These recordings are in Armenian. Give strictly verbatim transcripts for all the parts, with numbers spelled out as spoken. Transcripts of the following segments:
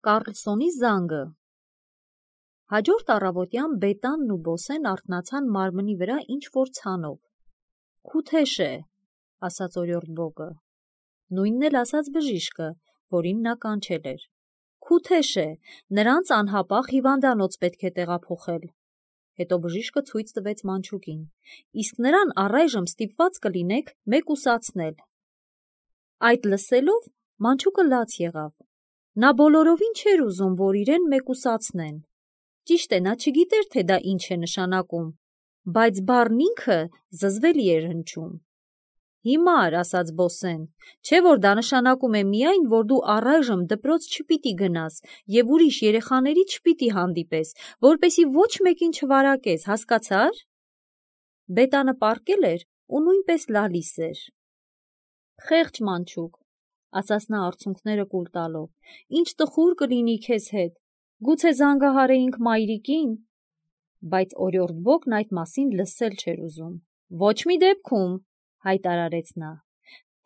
Կառլսոնի զանգը։ Հաջորդ առավոտյան Բետանն ու Բոսեն արթնացան մարմնի վրա ինչ-որ ցանով։ «Քութեշ է», ասաց օրիորդ Բոգը։ Նույնն էլ ասաց բժիշկը, որին նա կանչել էր։ «Քութեշ է, նրանց անհապաղ հիվանդանոց պետք է տեղափոխել»։ Հետո բժիշկը ցույց տվեց մանչուկին։ «Իսկ նրան առայժմ ստիպված կլինեք մեկուսացնել»։ Այդ լսելով մանչուկը լաց եղավ։ Նա բոլորովին չէր ուզում, որ իրեն մեկուսացնեն։ Ճիշտ է, նա չգիտեր, թե դա ինչ է նշանակում, բայց բառն ինքը զզվելի էր հնչում։ «Հիմար», ասաց Բոսեն, «չէ՞ որ դա նշանակում է միայն, որ դու առայժմ դպրոց չպիտի գնաս և ուրիշ երեխաների չպիտի հանդիպես, որպեսզի ոչ մեկին չվարակես, հասկացա՞ր»։ Բետանը պառկել էր ու նույնպես լալիս էր։ «Խեղճ մանչուկ», ասաց նա արցունքները կուլ տալով, «ինչ տխուր կլինի քեզ հետ, գուցե զանգահարեինք մայրիկին»։ Բայց օրիորդ Բոգն այդ մասին լսել չէր ուզում։ «Ոչ մի դեպքում», հայտարարեց նա։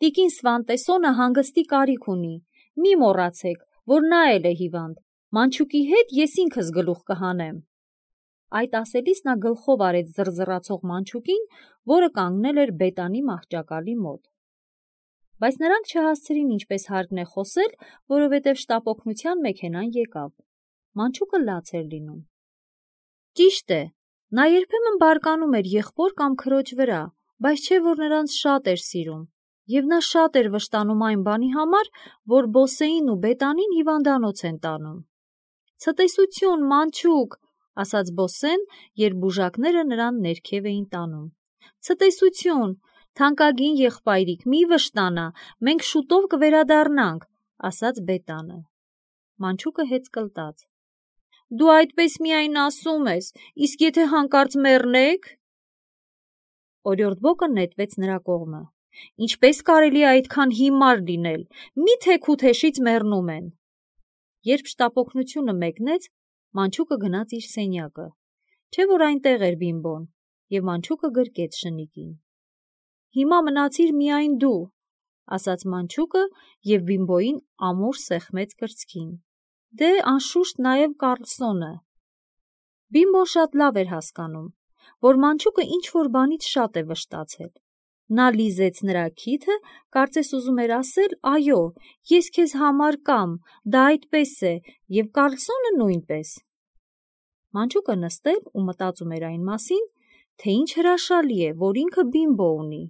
«Տիկին Սվանտեսոնը հանգստի կարիք ունի, մի մոռացեք, որ նա էլ է հիվանդ, մանչուկի հետ ես ինքս գլուխ կհանեմ»։ Այդ ասելիս նա գլխով արեց զռզռացող մանչուկին, որը կանգնել էր Բետանի մահճակալի մոտ։ Բայց նրանք չհասցրին ինչպես հարկն է խոսել, որովհետև շտապօգնության մեքենան եկավ։ Մանչուկը լաց էր լինում։ Ճիշտ է, նա երբեմն բարկանում էր եղբոր կամ քրոջ վրա, բայց չէ որ նրանց շատ էր սիրում, և նա շատ էր վշտանում այն բանի համար, որ Բոսեին ու Բետանին հիվանդանոց են տանում։ «Ցտեսություն, մանչուկ», ասաց Բոսեն, երբ բուժակները նրան ներքև էին տանում։ «Ցտեսություն, թանկագին եղբայրիկ, մի վշտանա, մենք շուտով կվերադառնանք», ասաց Բետանը։ Մանչուկը հեծկլտաց։ «Դու այդպես միայն ասում ես, իսկ եթե հանկարծ մեռնեք»։ Օրիորդ Բոգը նետվեց նրա կողմը։ «Ինչպես կարելի է այդքան հիմար լինել, մի՞թե Քութեշից մեռնում են»։ Երբ շտապօգնությունը մեկնեց, մանչուկը գնաց իր սենյակը, չէ որ այնտեղ էր Բիմբոն, և մանչուկը գրկեց շնիկին։ «Հիմա մնացիր միայն դու», ասաց մանչուկը և Բիմբոյին ամուր սեղմեց կրծքին։ «Դե, անշուշտ, նաև Կառլսոնը»։ Բիմբոն շատ լավ էր հասկանում, որ մանչուկը ինչ-որ բանից շատ է վշտացել։ Նա լիզեց նրա քիթը, կարծես ուզում էր ասել. «Այո, ես քեզ համար կամ, դա այդպես է, և Կառլսոնը նույնպես»։ Մանչուկը նստել ու մտածում էր այն մասին, թե ինչ հրաշալի է, որ ինքը Բիմբո ունի։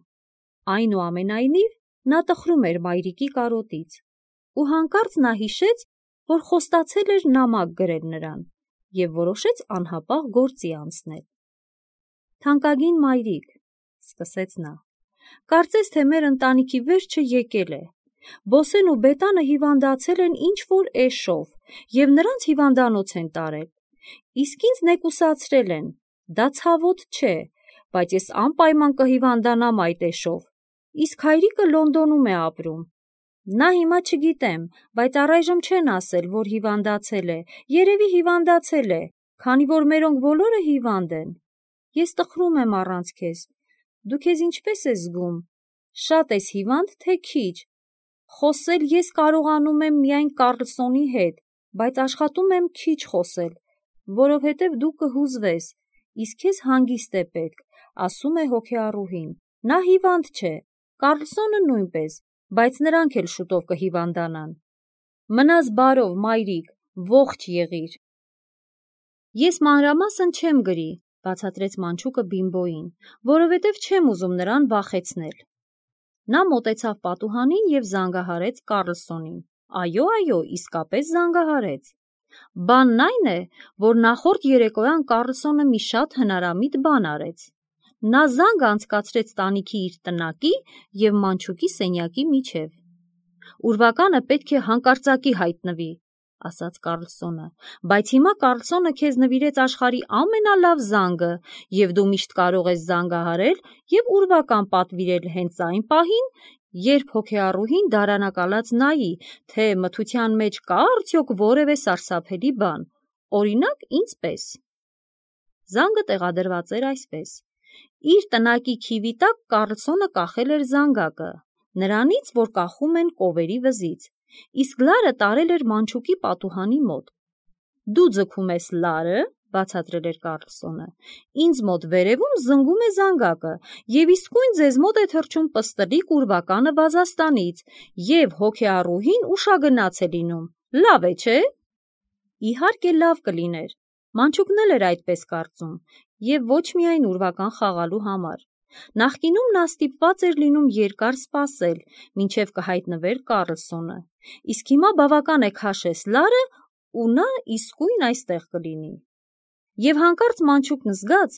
Այնուամենայնիվ, նա տխրում էր մայրիկի կարոտից, ու հանկարծ նա հիշեց, որ խոստացել էր նամակ գրել նրան, և որոշեց անհապաղ գործի անցնել։ «Թանկագին մայրիկ», սկսեց նա, «կարծես թե մեր ընտանիքի վերջը եկել է։ Բոսեն ու Բետանը հիվանդացել են ինչ-որ էշով և նրանց հիվանդանոց են տարել։ Իսկ ինձ նեկուսացրել են, դա ցավոտ չէ, բայց ես անպայման կհիվանդանամ այդ էշով, իսկ հայրիկը Լոնդոնում է ապրում։ Նա հիմա չգիտեմ, բայց առայժմ չեն ասել, որ հիվանդացել է, երևի հիվանդացել է, քանի որ մերոնք բոլորը հիվանդ են։ Ես տխրում եմ առանց քեզ։ Դու քեզ ինչպե՞ս ես զգում, շատ ես հիվանդ, թե քիչ։ Խոսել ես կարողանում եմ միայն Կառլսոնի հետ, բայց աշխատում եմ քիչ խոսել, որովհետև դու կհուզվես, իսկ քեզ հանգիստ է պետք, ասում է հոգեառուհին։ Նա հիվանդ չէ, Կառլսոնը նույնպես, բայց նրանք էլ շուտով կհիվանդանան։ Մնաս բարով, մայրիկ, ողջ եղիր»։ «Ես մանրամասն չեմ գրի», բացատրեց մանչուկը Բիմբոյին, «որովհետև չեմ ուզում նրան վախեցնել»։ Նա մոտեցավ պատուհանին և զանգահարեց Կառլսոնին։ Այո, այո, իսկապես զանգահարեց։ Բանն այն է, որ նախորդ երեկոյան Կառլսոնը մի շատ հնարամիտ բան արեց։ Նա զանգ անցկացրեց տանիքի իր տնակի և մանչուկի սենյակի միջև։ «Ուրվականը պետք է հանկարծակի հայտնվի», ասաց Կառլսոնը, «բայց հիմա Կառլսոնը քեզ նվիրեց աշխարհի ամենալավ զանգը, և դու միշտ կարող ես զանգահարել և ուրվական պատվիրել հենց այն պահին, երբ հոգեառուհին դարանակալած նայի, թե մթության մեջ կա՞ արդյոք որևէ սարսափելի բան, օրինակ, ինձ պես»։ Զանգը տեղադրված էր այսպես. իր տնակի քիվի տակ Կառլսոնը կախել էր զանգակը, նրանից, որ կախում են կովերի վզից, իսկ լարը տարել էր մանչուկի պատուհանի մոտ։ Դու ձգում ես լարը, բացատրել էր Կարլսոնը, ինձ մոտ վերևում զնգում է զանգակը, և իսկույն ձեզ մոտ է թռչում պստլիկ ուրվականը Վազաստանից, և հոգեառուհին ուշագնաց է լինում, լավ է, չէ՞։ Իհարկե լավ կլիներ, մանչուկն էլ էր այդպես կարծում, և ոչ միայն ուրվական խաղալու համար։ Նախկինում նա ստիպված էր լինում երկար սպասել, մինչև կհայտնվեր Կարլսոնը, իսկ հիմա բավական է քաշես լարը, ու նա իսկույն այստեղ կլինի։ Եվ հանկարծ մանչուկն զգաց,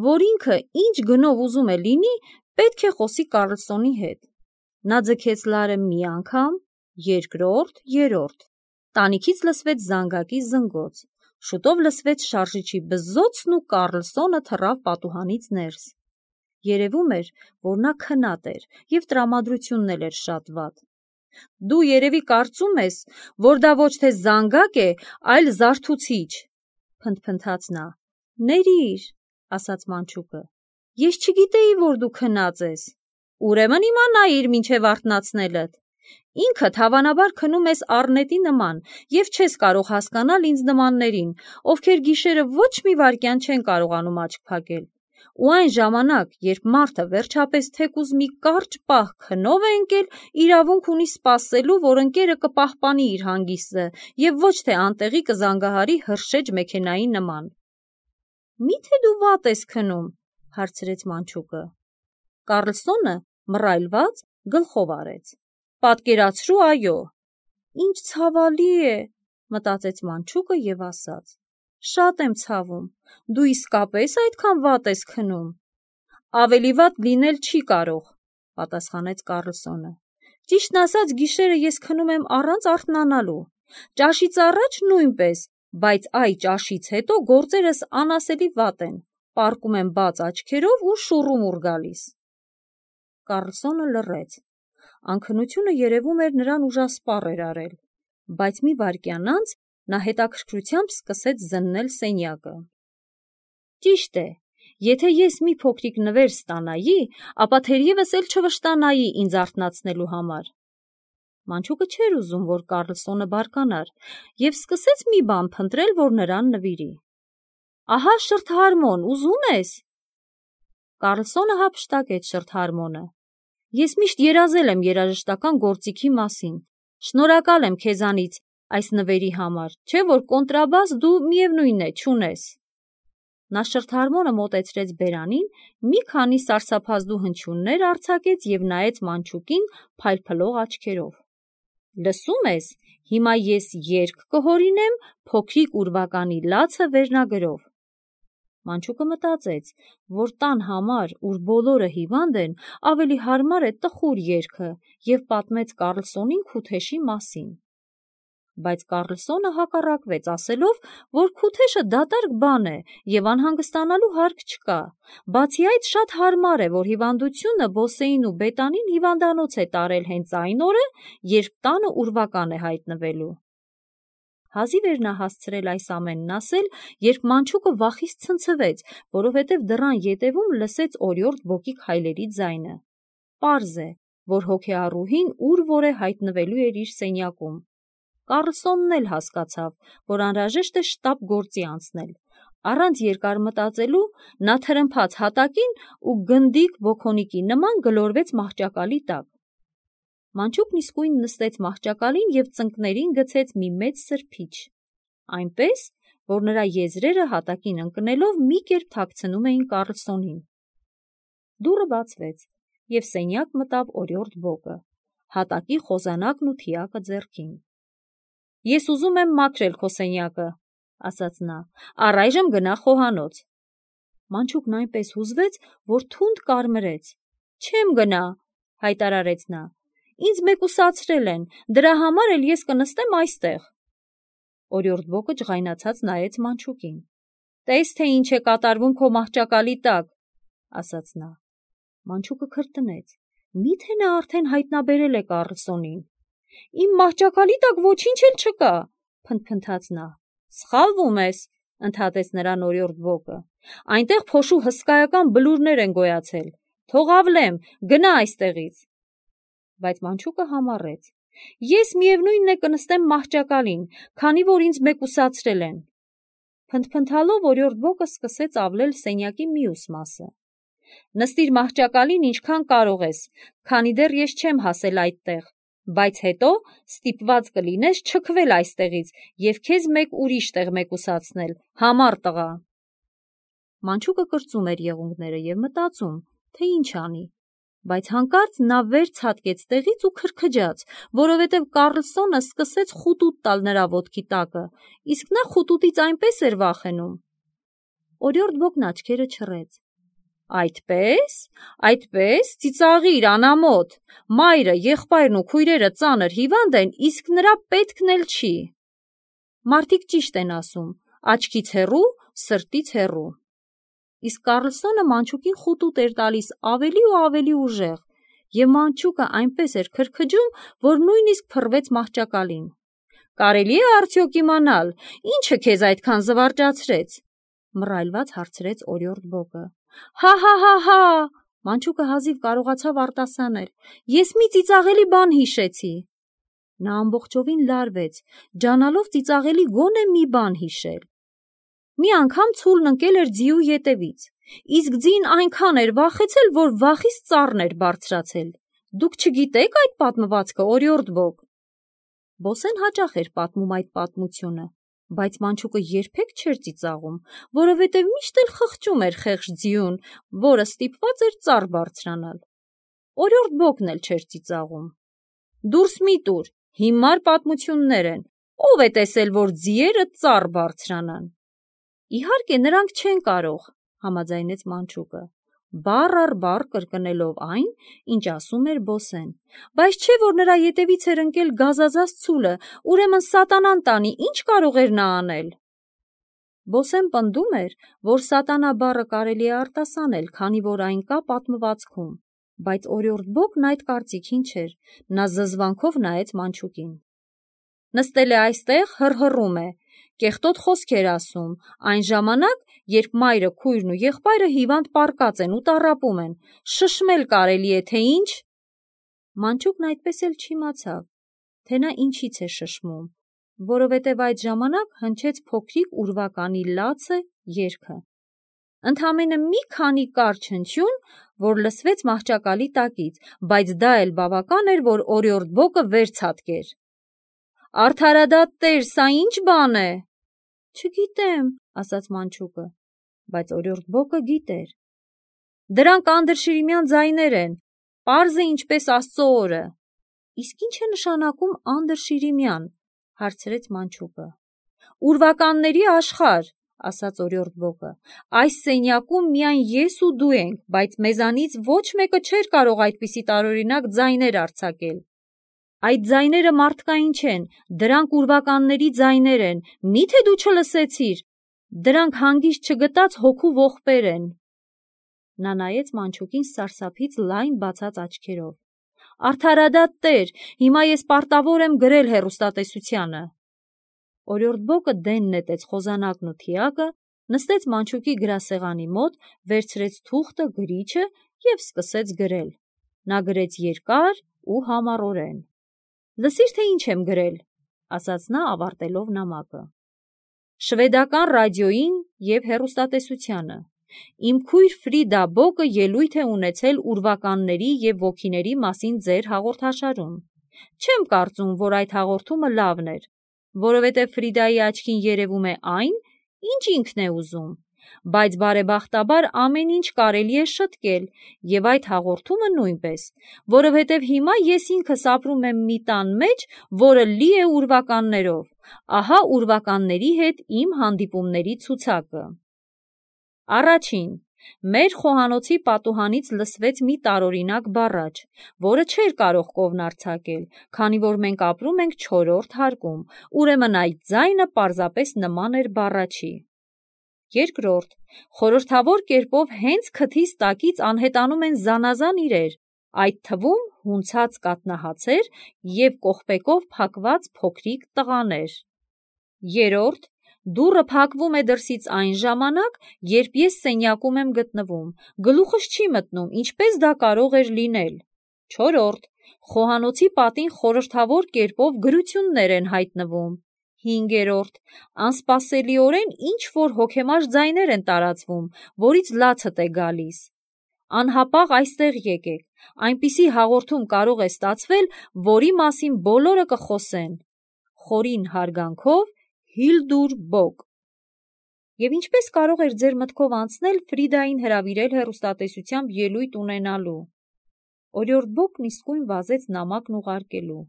որ ինքը ինչ գնով ուզում է լինի, պետք է խոսի Կարլսոնի հետ։ Նա ձգեց լարը մի անգամ, երկրորդ, երրորդ։ Տանիքից լսվեց զանգակի զնգոց, շուտով լսվեց շարժիչի բզզոցն ու Կարլսոնը թռավ պատուհանից ներս։ Երևում էր, որ նա քնած էր և տրամադրությունն էլ էր շատ վատ։ Դու երևի կարծում ես, որ դա ոչ թե զանգակ է, այլ զարթուցիչ, փնթփնթաց նա։ Ներիր, ասաց մանչուկը, ես չգիտեի, որ դու քնած ես։ Ուրեմն իմանայիր մինչև արթնացնելդ։ Ինքդ հավանաբար քնում ես առնետի նման և չես կարող հասկանալ ինձ նմաններին, ովքեր գիշերը ոչ մի վայրկյան չեն կարողանում աչք փակել։ Ու այն ժամանակ, երբ մարդը վերջապես թեկուզ մի կարճ պահ քնով է ընկել, իրավունք ունի սպասելու, որ ընկերը կպահպանի իր հանգիստը և ոչ թե անտեղի կզանգահարի հրշեջ մեքենայի նման։ Մի՞թե դու վատ ես քնում, հարցրեց մանչուկը։ Կարլսոնը մռայլված գլխով արեց։ Պատկերացրու, այո։ Ինչ ցավալի է, մտածեց մանչուկը և ասաց. Շատ եմ ցավում, դու իսկապես այդքան վատ ես քնում։ Ավելի վատ լինել չի կարող, պատասխանեց Կարլսոնը։ Ճիշտն ասած, գիշերը ես քնում եմ առանց արթնանալու։ Ճաշից առաջ նույնպես, բայց այ ճաշից հետո գործերս անասելի վատ են, պառկում եմ բաց աչքերով ու շուռումուռ գալիս։ Կարլսոնը լռեց։ Անքնությունը երևում էր նրան ուժասպառ էր արել, բայց մի վայրկյան անց նա հետաքրքրությամբ սկսեց զննել սենյակը։ Ճիշտ է, եթե ես մի փոքրիկ նվեր ստանայի, ապա թերևս էլ չվշտանայի ինձ արթնացնելու համար։ Մանչուկը չէր ուզում, որ Կարլսոնը բարկանար, և սկսեց մի բան փնտրել, որ նրան նվիրի։ Ահա շրթհարմոն, ուզում ես։ Կարլսոնը հափշտակեց շրթհարմոնը։ Ես միշտ երազել եմ երաժշտական գործիքի մասին։ Շնորհակալ եմ քեզանից այս նվերի համար, չէ՞ որ կոնտրաբաս դու միևնույն է չունես։ Նա շրթհարմոնը մոտեցրեց բերանին, մի քանի սարսափազդու հնչյուններ արձակեց և նայեց մանչուկին փայլփլող աչքերով։ Լսում ես, հիմա ես երգ կհորինեմ փոքրիկ ուրվականի լացը վերնագրով։ Մանչուկը մտածեց, որ տան համար, ուր բոլորը հիվանդ են, ավելի հարմար է տխուր երգը և պատմեց Կարլսոնին Քութեշի մասին։ Բայց Կարլսոնը հակառակվեց, ասելով, որ Քութեշը դատարկ բան է և անհանգստանալու հարկ չկա։ Բացի այդ, շատ հարմար է, որ հիվանդությունը Բոսեին ու Բետանին հիվանդանոց է տարել հենց այն օրը, երբ տանը ուրվական է հայտնվելու։ Հազիվ էր նա հասցրել այս ամենն ասել, երբ մանչուկը վախից ցնցվեց, որովհետև դռան ետևում լսեց օրիորդ Բոկի քայլերի ձայնը։ Պարզ է, որ հոգեառուհին ուր որ է հայտնվելու էր իր սենյակում։ Կարլսոնն էլ հասկացավ, որ անհրաժեշտ է շտապ գործի անցնել։ Առանց երկար մտածելու նա թրմփաց հատակին ու գնդիկ բոքոնիկի նման գլորվեց մահճակալի տակ։ Մանչուկն իսկույն նստեց մահճակալին և ծնկներին գցեց մի մեծ սրբիչ, այնպես, որ նրա եզրերը հատակին ընկնելով մի կերպ թաքցնում էին Կարլսոնին։ Դուռը բացվեց, և սենյակ մտավ օրիորդ Բոկը, հատակի խոզանակն ու թիակը ձեռքին։ Ես ուզում եմ մաքրել քո սենյակը, ասաց նա, առայժմ գնա խոհանոց։ Մանչուկն այնպես հուզվեց, որ թունդ կարմրեց։ Չեմ գնա, հայտարարեց նա։ Ինձ մեկուսացրել են, դրա համար էլ ես կնստեմ այստեղ։ Օրիորդ Բոկը ջղայնացած նայեց մանչուկին։ Տես, թե ինչ է կատարվում քո մահճակալի տակ, ասաց նա։ Մանչուկը քրտնեց։ Մի՞թե նա արդեն հայտնաբերել է Կարլսոնին։ Իմ մահճակալի տակ ոչինչ էլ չկա, փնթփնթաց նա։ Սխալվում ես, ընդհատեց նրան օրիորդ Բոկը։ Այնտեղ փոշու հսկայական բլուրներ են գոյացել։ Թող ավլեմ, գնա այստեղից։ Բայց մանչուկը համառեց։ Ես միևնույնն է կնստեմ մահճակալին, քանի որ ինձ մեկուսացրել են։ Փնթփնթալով օրիորդ բոկը սկսեց ավլել սենյակի մյուս մասը։ Նստիր մահճակալին ինչքան կարող ես, քանի դեռ ես չեմ հասել այդտեղ, բայց հետո ստիպված կլինես չքվել այստեղից և քեզ մեկ ուրիշ տեղ մեկուսացնել, համառ տղա։ Մանչուկը կրծում էր եղունգները և մտածում, թե ինչ անի, բայց հանկարծ նա վեր ցատկեց տեղից ու քրքջաց, որովհետև Կառլսոնը սկսեց խուտուտ տալ նրա ոտքի տակը, իսկ նա խուտուտից այնպես էր վախենում։ Օրիորդ բոկն աչքերը չռեց։ Այդպե՞ս, այդպես, ծիծաղիր, անամոթ, մայրը, եղբայրն ու քույրերը ծանր հիվանդ են, իսկ նրա պետքն էլ չի։ Մարդիկ ճիշտ են ասում, աչքից հեռու, սրտից հեռու։ Իսկ Կառլսոնը մանչուկին խուտուտ էր տալիս ավելի ու ավելի ուժեղ, և մանչուկը այնպես էր քրքջում, որ նույնիսկ փռվեց մահճակալին։ Կարելի է արդյոք իմանալ, ինչը քեզ այդքան զվարճացրեց, մռայլված հարցրեց օրիորդ բոկը։ Հա՛֊հա՛֊հա՛, մանչուկը հազիվ կարողացավ արտասանել, ես մի ծիծաղելի բան հիշեցի։ Նա ամբողջովին լարվեց, ջանալով ծիծաղելի գոնե մի բան հիշել։ Մի անգամ ցուլն ընկել էր ձիու ետևից, իսկ ձին այնքան էր վախեցել, որ վախից ծառն էր բարձրացել։ Դուք չգիտեք այդ պատմվածքը, օրիորդ բոկ։ Բոսեն հաճախ էր պատմում այդ պատմությունը, բայց մանչուկը երբեք չէր ծիծաղում, որովհետև միշտ էլ խղճում էր խեղճ ձիուն, որը ստիպված էր ծառ բարձրանալ։ Օրիորդ բոկն էլ չէր ծիծաղում։ Դուրս մի տուր, հիմար պատմություններ են, ով է տեսել, որ ձիերը ծառ բարձրանան։ Իհարկե, նրանք չեն կարող, համաձայնեց մանչուկը, բառ առ բառ կրկնելով այն, ինչ ասում էր Բոսեն, բայց չէ, որ նրա ետևից էր ընկել գազազած ցուլը, ուրեմն սատանան տանի, ինչ կարող էր նա անել։ Բոսեն պնդում էր, որ սատանա բառը կարելի է արտասանել, քանի որ այն կա պատմվածքում, բայց օրիորդ բոկն այդ կարծիքին չէր, նա զզվանքով նայեց մանչուկին։ Նստել է այստեղ, հռհռում է, կեղտոտ խոսքեր ասում, այն ժամանակ, երբ մայրը, քույրն ու եղբայրը հիվանդ պառկած են ու տառապում են, շշմել կարելի է, թե ինչ։ Մանչուկն այդպես էլ չիմացավ, թե նա ինչից է շշմում, որովհետև այդ ժամանակ հնչեց փոքրիկ ուրվականի լացը երգը։ Ընդամենը մի քանի կարճ հնչյուն, որ լսվեց մահճակալի տակից, բայց դա էլ բավական էր, որ օրիորդ բոկը վեր ցատկեր։ Արդարադատ տեր, սա ինչ բան է։ Չգիտեմ, ասաց մանչուկը, բայց օրիորդ բոկը գիտեր։ Դրանք անդրշիրիմյան ձայներ են, պարզ է ինչպես Աստծո օրը։ Իսկ ինչ է նշանակում անդրշիրիմյան, հարցրեց մանչուկը։ Ուրվականների աշխարհ, ասաց օրիորդ բոկը, այս սենյակում միայն ես ու դու ենք, բայց մեզանից ոչ մեկը չէր կարող այդպիսի տարօրինակ ձայներ արձակել։ Այդ ձայները մարդկային չեն, դրանք ուրվականների ձայներ են, մի՞թե դու չլսեցիր, դրանք հանգիստ չգտած հոգու ողբեր են։ Նա նայեց մանչուկին սարսափից լայն բացած աչքերով։ Արդարադատ տեր, հիմա ես պարտավոր եմ գրել հեռուստատեսությանը։ Օրիորդ բոկը դեն նետեց խոզանակն ու թիակը, նստեց մանչուկի գրասեղանի մոտ, վերցրեց թուղթը, գրիչը և սկսեց գրել։ Նա գրեց երկար ու համառորեն։ Լսիր, թե ինչ եմ գրել, ասաց նա ավարտելով նամակը։ Շվեդական ռադիոյին և հեռուստատեսությանը։ Իմ քույր Ֆրիդա Բոկը ելույթ է ունեցել ուրվականների և ոգիների մասին ձեր հաղորդաշարում։ Չեմ կարծում, որ այդ հաղորդումը լավն էր, որովհետև Ֆրիդայի աչքին երևում է այն, ինչ ինքն է ուզում, բայց բարեբախտաբար ամեն ինչ կարելի է շտկել և այդ հաղորդումը նույնպես, որովհետև հիմա ես ինքս ապրում եմ մի տան մեջ, որը լի է ուրվականներով, ահա ուրվականների հետ իմ հանդիպումների ցուցակը։ Առաջին. մեր խոհանոցի պատուհանից լսվեց մի տարօրինակ բառաչ, որը չէր կարող կովն արձակել, քանի որ մենք ապրում ենք չորրորդ հարկում, ուրեմն այդ ձայնը պարզապես նման էր բառաչի։ Երկրորդ. խորհրդավոր կերպով հենց քթից տակից անհետանում են զանազան իրեր, այդ թվում հունցած կաթնահացեր և կողպեկով փակված փոքրիկ տղաներ։ Երրորդ. դուռը փակվում է դրսից այն ժամանակ, երբ ես սենյակում եմ գտնվում, գլուխս չի մտնում, ինչպես դա կարող էր լինել։ Չորրորդ. Խոհանոցի պատին խորհրդավոր կերպով գրություններ են հայտնվում։ Հինգերորդ. անսպասելիորեն ինչ-որ հոգեմար ձայներ են տարածվում, որից լացդ է գալիս։ Անհապաղ այստեղ եկեք, այնպիսի հաղորդում կարող է ստացվել, որի մասին բոլորը կխոսեն։ Խորին հարգանքով, Հիլդուր Բոկ։ Եվ ինչպես կարող էր ձեր մտքով անցնել Ֆրիդային հրավիրել հեռուստատեսությամբ ելույթ ունենալու։ Օրիորդ Բոկն իսկույն վազեց նամակն ուղարկելու։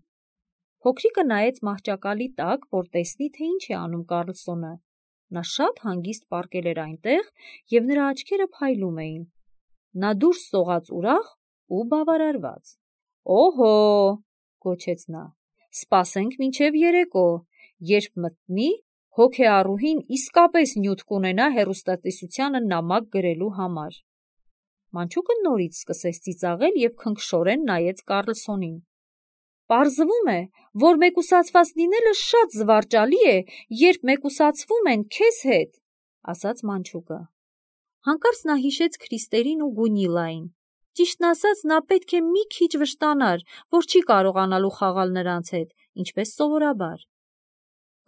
Փոքրիկը նայեց մահճակալի տակ, որ տեսնի, թե ինչ է անում Կարլսոնը։ Նա շատ հանգիստ պառկել էր այնտեղ, և նրա աչքերը փայլում էին։ Նա դուրս սողաց ուրախ ու բավարարված։ Օհո, գոչեց նա, սպասենք մինչև երեկո, երբ մտնի, հոգեառուհին իսկապես նյութ կունենա հեռուստատեսությանը նամակ գրելու համար։ Մանչուկը նորից սկսեց ծիծաղել և քնքշորեն նայեց Կարլսոնին։ Պարզվում է, որ մեկուսացված լինելը շատ զվարճալի է, երբ մեկուսացվում են քեզ հետ, ասաց մանչուկը։ Հանկարծ նա հիշեց Քրիստերին ու Գունիլային։ Ճիշտն ասած, նա պետք է մի քիչ վշտանար, որ չի կարողանալու խաղալ նրանց հետ, ինչպես սովորաբար։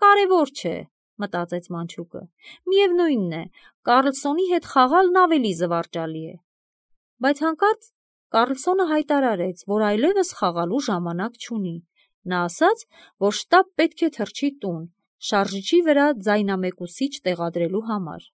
Կարևոր չէ, մտածեց մանչուկը։ Միևնույնն է, Կարլսոնի հետ խաղալն ավելի զվարճալի է։ Բայց հանկարծ Կարլսոնը հայտարարեց, որ այլևս խաղալու ժամանակ չունի։ Նա ասաց, որ շտապ պետք է թռչի տուն, շարժիչի վրա ձայնամեկուսիչ տեղադրելու համար։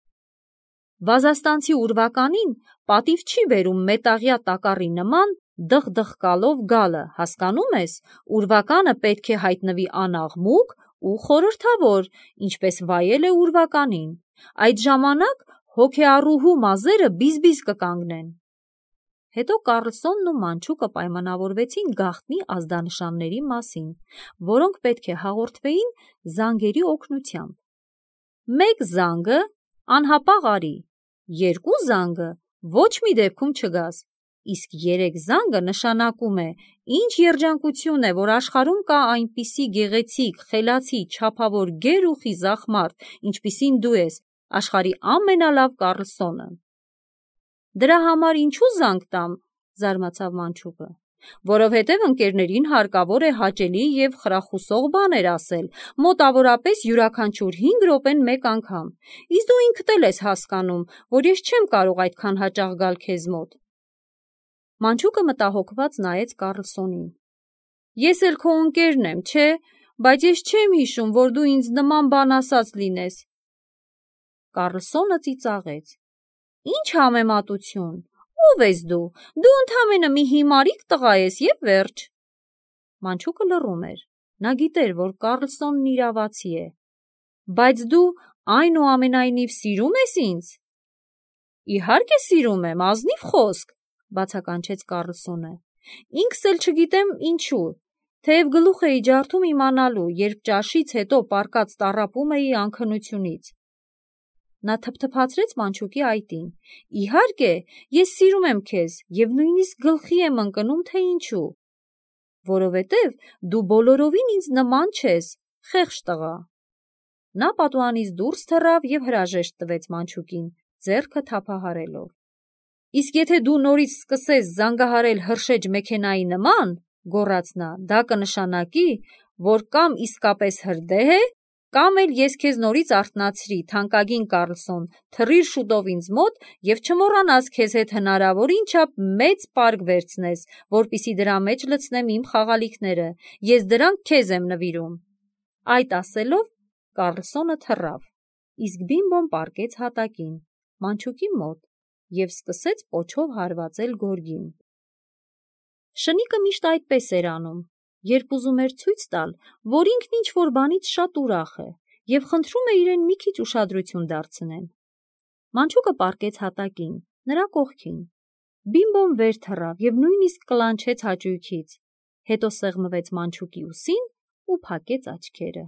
Վազաստանցի ուրվականին պատիվ չի բերում մետաղյա տակառի նման դխդխկալով գալը, հասկանում ես, ուրվականը պետք է հայտնվի անաղմուկ ու խորհրդավոր, ինչպես վայել է ուրվականին։ Այդ ժամանակ հոգեառուհու մազերը բիզ-բիզ կկանգնեն։ Հետո Կարլսոնն ու մանչուկը պայմանավորվեցին գաղտնի ազդանշանների մասին, որոնք պետք է հաղորդվեին զանգերի օգնությամբ։ Մեկ զանգը անհապաղ արի, երկու զանգը ոչ մի դեպքում չգաս, իսկ երեք զանգը նշանակում է, ինչ երջանկություն է, որ աշխարհում կա այնպիսի գեղեցիկ, խելացի, չափավոր գեր ու խիզախ մարդ, ինչպիսին դու ես, աշխարհի ամենալավ Կարլսոնը։ Դրա համար ինչու զանգ տամ, զարմացավ մանչուկը, որովհետև ընկերներին հարկավոր է հաճելի և խրախուսող բաներ ասել, մոտավորապես յուրաքանչյուր հինգ րոպեն մեկ անգամ, իսկ դու ինքդ էլ ես հասկանում, որ ես չեմ կարող այդքան հաճախ գալ քեզ մոտ։ Մանչուկը մտահոգված նայեց Կարլսոնին։ Ես էլ քո ընկերն եմ, չէ, բայց ես չեմ հիշում, որ դու ինձ նման բան ասած լինես։ Կարլսոնը ծիծաղեց։ Ինչ համեմատություն, ո՞վ ես դու, դու ընդամենը մի հիմարիկ տղա ես և վերջ։ Մանչուկը լռում էր, նա գիտեր, որ Կարլսոնն իրավացի է։ Բայց դու այնուամենայնիվ սիրում ես ինձ։ Իհարկե սիրում եմ, ազնիվ խոսք, բացականչեց Կարլսոնը։ Ինքս էլ չգիտեմ ինչու, թեև գլուխ էի ջարդում իմանալու, երբ ճաշից հետո պառկած տառապում էի անքնությունից։ Նա թփթփացրեց մանչուկի այտին։ Իհարկե, ես սիրում եմ քեզ և նույնիսկ գլխի եմ ընկնում, թե ինչու։ Որովհետև դու բոլորովին ինձ նման չես, խեղճ տղա։ Նա պատուհանից դուրս թռավ և հրաժեշտ տվեց մանչուկին, ձեռքը թափահարելով։ Իսկ եթե դու նորից սկսես զանգահարել հրշեջ մեքենայի նման, գոռաց նա, դա կնշանակի, որ կամ իսկապես հրդեհ է, կամ էլ ես քեզ նորից արթնացրի, թանկագին Կարլսոն, թռիր շուտով ինձ մոտ և չմոռանաս քեզ հետ հնարավորին չափ մեծ պարկ վերցնես, որպեսզի դրա մեջ լցնեմ իմ խաղալիքները, ես դրանք քեզ եմ նվիրում։ Այդ ասելով Կարլսոնը թռավ, իսկ Բիմբոն պառկեց հատակին, մանչուկի մոտ, և սկսեց պոչով հարվածել գորգին։ Շնիկը միշտ այդպես էր անում, երբ ուզում էր ցույց տալ, որ ինքն ինչ-որ բանից շատ ուրախ է, և խնդրում է իրեն մի քիչ ուշադրություն դարձնել։ Մանչուկը պառկեց հատակին, նրա կողքին։ Բիմբոն վեր թռավ և նույնիսկ կլանչեց հաճույքից, հետո սեղմվեց մանչուկի ուսին ու փակեց աչքերը։